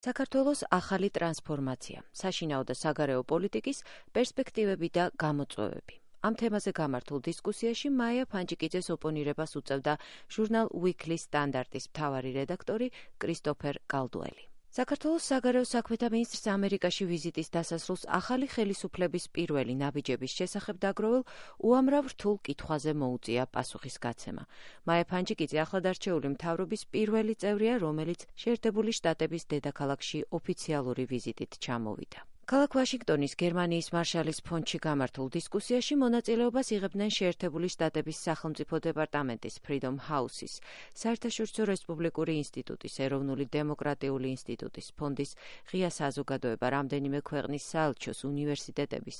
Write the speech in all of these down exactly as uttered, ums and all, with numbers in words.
საქართველოს ახალი ტრანსფორმაცია, საშინაო და საგარეო პოლიტიკის პერსპექტივები და გამოწვევები. ამ თემაზე გამართულ დისკუსიაში მაია ფანჯიკიძეს ოპონირებას უწევდა ჟურნალ Weekly Standard-ის მთავარი რედაქტორი კრისტოფერ კალდუელი. საქართველოს საგარეო საქმეთა მინისტრს ამერიკაში ვიზიტის დასასრულს ახალი ხელისუფლების პირველი ნაბიჯების შესახებ დაგროვილ უამრავ რთულ კითხვაზე მოუწია პასუხის გაცემა. მაია ფანჯიკიძე ახლადარჩეული მთავრობის პირველი წევრია, რომელიც შეერთებული შტატების დედაქალაქში ოფიციალური ვიზიტით ჩამოვიდა. ქალაქ ვაშინგტონის გერმანიის მარშალის ფონდში გამართულ დისკუსიაში მონაწილეობას იღებდნენ შეერთებული შტატების სახელმწიფო დეპარტამენტის Freedom House-ის, საერთაშორისო რესპუბლიკური ინსტიტუტის, ეროვნული დემოკრატიული ინსტიტუტის, ფონდის ღია საზოგადოება, რამდენიმე ქვეყნის საელჩოს, უნივერსიტეტების,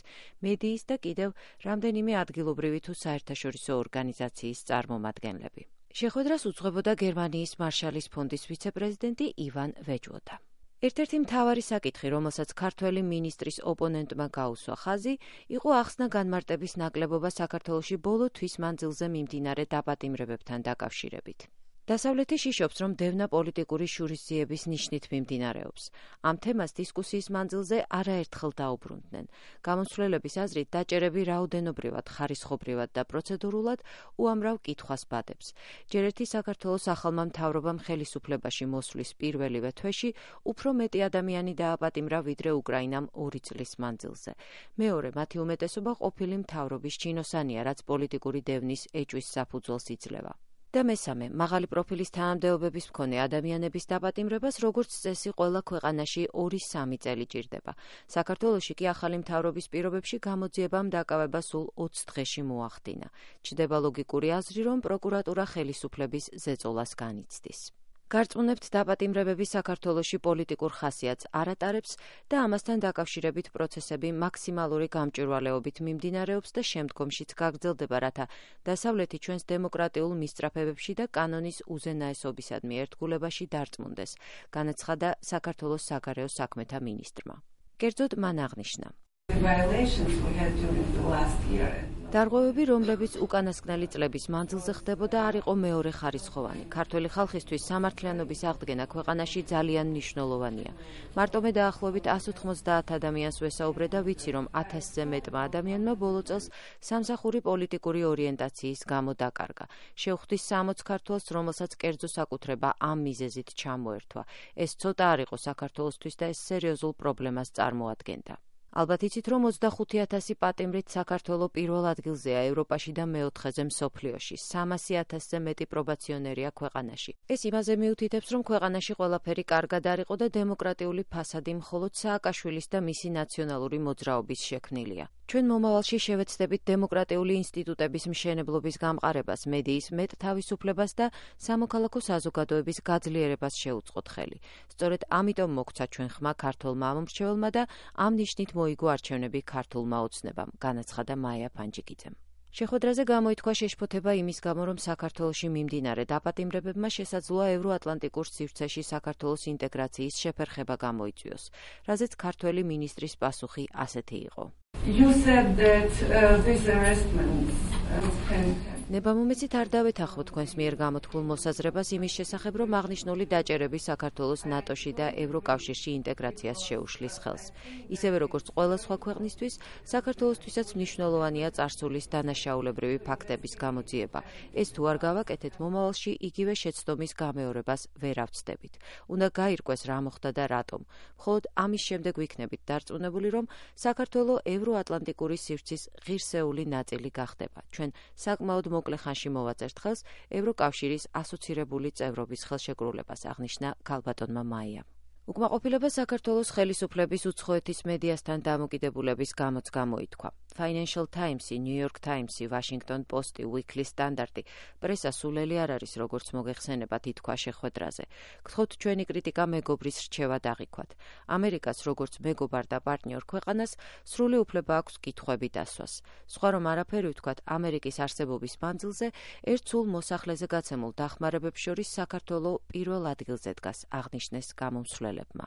მედიის და კიდევ რამდენიმე ადგილობრივი თუ საერთაშორისო ორგანიზაციის წარმომადგენლები. შეხვედრას უძღვებოდა გერმანიის მარშალის ფონდის ვიცე-პრეზიდენტი ივან ვეჯვოდა. ერთ-ერთი მთავარი საკითხი, რომელსაც ქართველი მინისტრის ოპონენტმა გაუსვა ხაზი, იყო ახსნა განმარტების ნაკლებობა საქართველოში ბოლო თვის მანძილზე მიმდინარე დაპატიმრებებთან დაკავშირებით. დასავლეთი შიშობს, რომ დევნა პოლიტიკური შურისძიების ნიშნით მიმდინარეობს. ამ თემას დისკუსიის მანძილზე არაერთხელ დაუბრუნდნენ. გამომცვლელების აზრით, დაჭერები რაოდენობრივად, ხარისხობრივად და პროცედურულად უამრავ კითხვას ბადებს. ჯერ ერთი საქართველოს ახალმა მთავრობამ ხელისუფლებაში მოსვლის პირველივე თვეში უფრო მეტი ადამიანი დააპატიმრა, ვიდრე უკრაინამ ორი წლის მანძილზე. მეორე, მათი უმეტესობა ყოფილი მთავრობის ჩინოსანია, რაც პოლიტიკური დევნის ეჭვის საფუძველს იძლევა. და მესამე, მაღალი პროფილის თანამდებობების მქონე ადამიანების დაპატიმრებას როგორც წესი ყველა ქვეყანაში ორი-სამი წელი ჭირდება. საქართველოში კი ახალი მთავრობის პირობებში გამოძიებამ დაკავება სულ ოცი დღეში მოახდინა. ჩნდება ლოგიკური აზრი, რომ პროკურატურა ხელისუფლების ზეწოლას განიცდის. გარწმუნებთ, დაპატიმრებები საქართველოში პოლიტიკურ ხასიათს არ ატარებს და ამასთან დაკავშირებით პროცესები მაქსიმალური გამჭვირვალეობით მიმდინარეობს და შემდგომშიც გაგრძელდება, რათა დასავლეთი ჩვენს დემოკრატიულ მისწრაფებებში და კანონის უზენაესობისადმი ერთგულებაში დარწმუნდეს, განაცხადა საქართველოს საგარეო საქმეთა მინისტრმა. კერძოდ მან აღნიშნა: დარღვევები, რომლებიც უკანასკნელი წლების მანძილზე ხდებოდა, არ იყო მეორე ხარისხოვანი. ქართველი ხალხისთვის სამართლიანობის აღდგენა ქვეყანაში ძალიან მნიშვნელოვანია. მარტო მე დაახლოებით ასი ოცდაათ ადამიანს ვესაუბრე და ვიცი, რომ ათასზე მეტმა ადამიანმა ბოლო წელს სამსახური პოლიტიკური ორიენტაციის გამო დაკარგა. შევხვდი სამოც ქართველს, რომელსაც კერძო საკუთრება ამ მიზეზით ჩამოერთვა. ეს ცოტა არ იყო საქართველოსთვის და ეს სერიოზულ პრობლემას წარმოადგენდა. ალბათ იცით, რომ ოცდახუთი ათასი პატიმრით საქართველო პირველ ადგილზეა ევროპაში და მეოთხეზე მსოფლიოში. სამასი ათასზე მეტი პრობაციონერია ქვეყანაში. ეს იმაზე მიუთითებს, რომ ქვეყანაში ყველაფერი კარგად არ იყო და დემოკრატიული ფასადი მხოლოდ სააკაშვილის და მისი ნაციონალური მოძრაობის შექმნილია. ჩვენ მომავალში შევეცდებით დემოკრატიული ინსტიტუტების მშენებლობის გამყარებას, მედიის მეტ თავისუფლებას და სამოქალაქო საზოგადოების გაძლიერებას შეუწყოთ ხელი. სწორედ ამიტომ მოგცა ჩვენ ხმა ქართველმა ამომრჩეველმა და ამ ნიშნით მოიგო არჩევნები ქართულმა ოცნებამ, განაცხადა მაია ფანჯიკიძემ. შეხვედრაზე გამოითქვა შეშფოთება იმის გამო, რომ საქართველოში მიმდინარე დაპატიმრებებმა შესაძლოა ევროატლანტიკურ სივრცეში საქართველოს ინტეგრაციის შეფერხება გამოიწვიოს, რაზეც ქართველი მინისტრის პასუხი ასეთი იყო. You said that uh, these arrestments uh, can ნებამომეცით არ დავეთანხმო თქვენს მიერ გამოთქმულ მოსაზრებას იმის შესახებ, რომ აღნიშნული დაჭერები საქართველოს ნატოში და ევროკავშირში ინტეგრაციას შეუშლის ხელს. ისევე როგორც ყველა სხვა ქვეყნისთვის, საქართველოსთვისაც მნიშვნელოვანია წარსულის დანაშაულებრივი ფაქტების გამოძიება. ეს თუ არ გავაკეთეთ, მომავალში იგივე შეცდომის გამეორებას ვერ ავცდებით. უნდა გაირკვეს რა მოხდა და რატომ. მხოლოდ ამის შემდეგ ვიქნებით დარწმუნებული, რომ საქართველო ევროატლანტიკური სივრცის ღირსეული ნაწილი გახდება. ჩვენ საკმაოდ მოკლე ხანში მოვაწერთ ხელს ევროკავშირის ასოცირებული წევრობის ხელშეკრულებას, აღნიშნა ქალბატონმა მაია. უკმაყოფილება საქართველოს ხელისუფლების უცხოეთის მედიასთან დამოკიდებულების გამოც გამოითქვა. Financial Times-ი, New York Times-ი, Washington Post-ი, Weekly Standard-ი პრესა სულელი არ არის, როგორც მოგეხსენებათ, ითქვა შეხვედრაზე. გთხოვთ ჩვენი კრიტიკა მეგობრის რჩევა დაღიქვათ. ამერიკას, როგორც მეგობარ და პარტნიორ ქვეყანას, სრული უფლება აქვს კითხვები დასვას. სხვა რომ არაფერი ვთქვათ, ამერიკის არსებობის მანძილზე ერთ სულ მოსახლეზე გაცემულ დახმარებებს შორის საქართველო პირველ ადგილზე დგას, აღნიშნეს გამომცვლელებმა.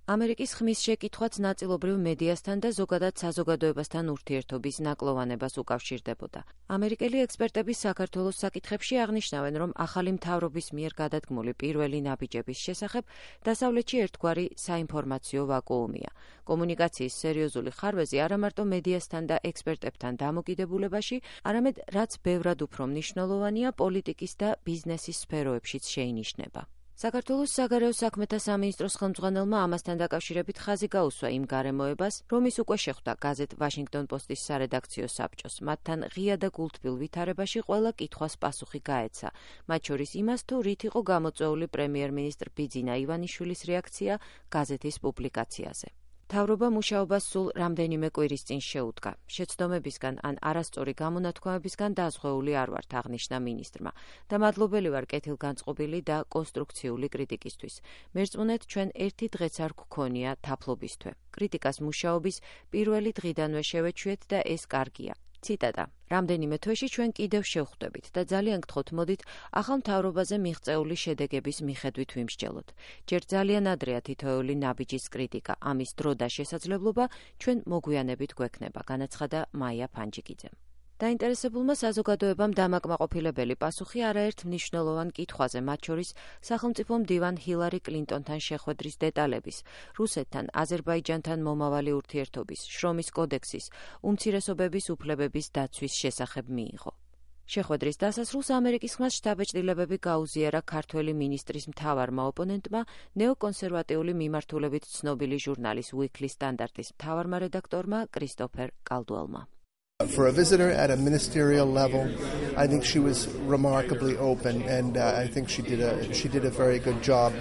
ამერიკის ხმის შეკითხვაც ნაწილობრივ მედიასთან და ზოგადად საზოგადოებასთან ურთიერთობის ნაკლოვანებას უკავშირდებოდა. ამერიკელი ექსპერტები საქართველოს საკითხებში აღნიშნავენ, რომ ახალი მთავრობის მიერ გადადგმული პირველი ნაბიჯების შესახებ დასავლეთში ერთგვარი საინფორმაციო ვაკუუმია. კომუნიკაციის სერიოზული ხარვეზი არა მარტო მედიასთან და ექსპერტებთან დამოკიდებულებაში, არამედ რაც ბევრად უფრო მნიშვნელოვანია, პოლიტიკის და ბიზნესის სფეროებშიც შეინიშნება. საქართველოს საგარეო საქმეთა სამინისტროს ხელმძღვანელმა ამასთან დაკავშირებით ხაზი გაუსვა იმ გარემოებას, რომ ის უკვე შეხვდა გაზეთ ვაშინგტონ პოსტის სარედაქციო საბჭოს. მათთან ღია და გულთბილ ვითარებაში ყველა კითხვას პასუხი გაეცა, მათ შორის იმას, თუ რით იყო გამოწვეული პრემიერ-მინისტრ ბიძინა ივანიშვილის რეაქცია გაზეთის პუბლიკაციაზე. მთავრობა მუშაობას სულ რამდენიმე კვირის წინ შეუდგა. შეცდომებისგან ან არასწორი გამონათქვამებისგან დაზღვეული არ ვართ, აღნიშნა მინისტრმა და მადლობელი ვარ კეთილგანწყობილი და კონსტრუქციული კრიტიკისთვის. მერწმუნეთ, ჩვენ ერთი დღეც არ გქონია თაფლობისთვის. კრიტიკას მუშაობის პირველი დღიდანვე შევეჩვიეთ და ეს კარგია. ციტატა: რამდენიმე თვეში ჩვენ კიდევ შევხვდებით და ძალიან გთხოვთ, მოდით ახალ მთავრობაზე მიღწეული შედეგების მიხედვით ვიმსჯელოთ. ჯერ ძალიან ადრეა თითოეული ნაბიჯის კრიტიკა, ამის დრო და შესაძლებლობა ჩვენ მოგვიანებით გვექნება, განაცხადა მაია ფანჯიკიძემ. დაინტერესებულმა საზოგადოებამ დამაკმაყოფილებელი პასუხი არაერთ მნიშვნელოვან კითხვაზე, მათ შორის სახელმწიფო მდივან ჰილარი კლინტონთან შეხვედრის დეტალების, რუსეთთან, აზერბაიჯანთან მომავალი ურთიერთობის, შრომის კოდექსის, უმცირესობების უფლებების დაცვის შესახებ მიიღო. შეხვედრის დასასრულს ამერიკის ხმას შტაბ-ჭრილებები გაუზიარა ქართველი მინისტრის მთავარმა ოპონენტმა, ნეოკონსერვატიული მიმართულებით ცნობილი ჟურნალის Weekly Standard-ის მთავარმა რედაქტორმა კრისტოფერ კალდუელმა. For a visitor at a ministerial level, I think she was remarkably open, and uh, I think she did a she did a very good job.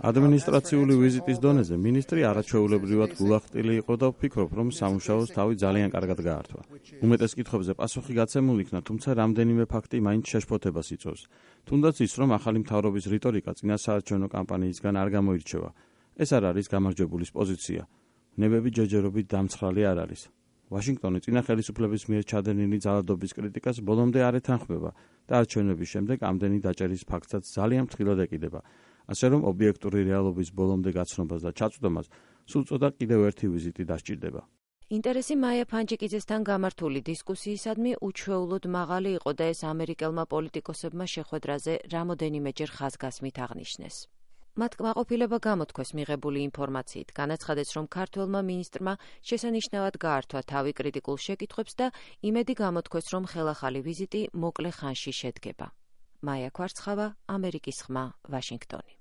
ადმინისტრაციული ვიზიტის დონეზე მინისტრი არაჩვეულებრივად გულახტილი იყო და ვფიქრობ, რომ სამუშაოს თავი ძალიან კარგად გაართვა. უმეტეს კითხვებზე პასუხი გაცემულ იქნა, თუმცა რამდენიმე ფაქტი მაინც შეშფოთებას იწვევს. თუნდაც ის, რომ ახალი მთავრობის რიტორიკა წინასაარჩევნო კამპანიისგან არ გამოირჩევა. ეს არ არის გამარჯვებულის პოზიცია. ნებები ჯერჯერობით დამცხრალი არ არის. ვაშინგტონი წინა ხელისუფლების მიერ ჩადენილი ძალადობის კრიტიკას ბოლომდე არ ეთანხმება და არჩევნების შემდეგ ამდენი დაჭერის ფაქტსაც ძალიან ფრთხილად ეკიდება. ასე რომ ობიექტური რეალობის ბოლომდე გაცნობას და ჩაწვდომას სულ წოდა კიდევ ერთი ვიზიტი დასჭირდება. ინტერესი მაია ფანჯიკიძესთან გამართული დისკუსიისადმი უჩვეულოდ მაღალი იყო და ეს ამერიკელმა პოლიტიკოსებმა შეხვედრაზე რამოდენიმეჯერ ხაზგასმით აღნიშნეს. მათ კმაყოფილება გამოთქვეს მიღებული ინფორმაციით, განაცხადეს, რომ ქართველმა მინისტრმა შესანიშნავად გაართვა თავი კრიტიკულ შეკითხვებს და იმედი გამოთქვეს, რომ ხელახალი ვიზიტი მოკლე ხანში შედგება. მაია ქვარცხავა, ამერიკის ხმა, ვაშინგტონი.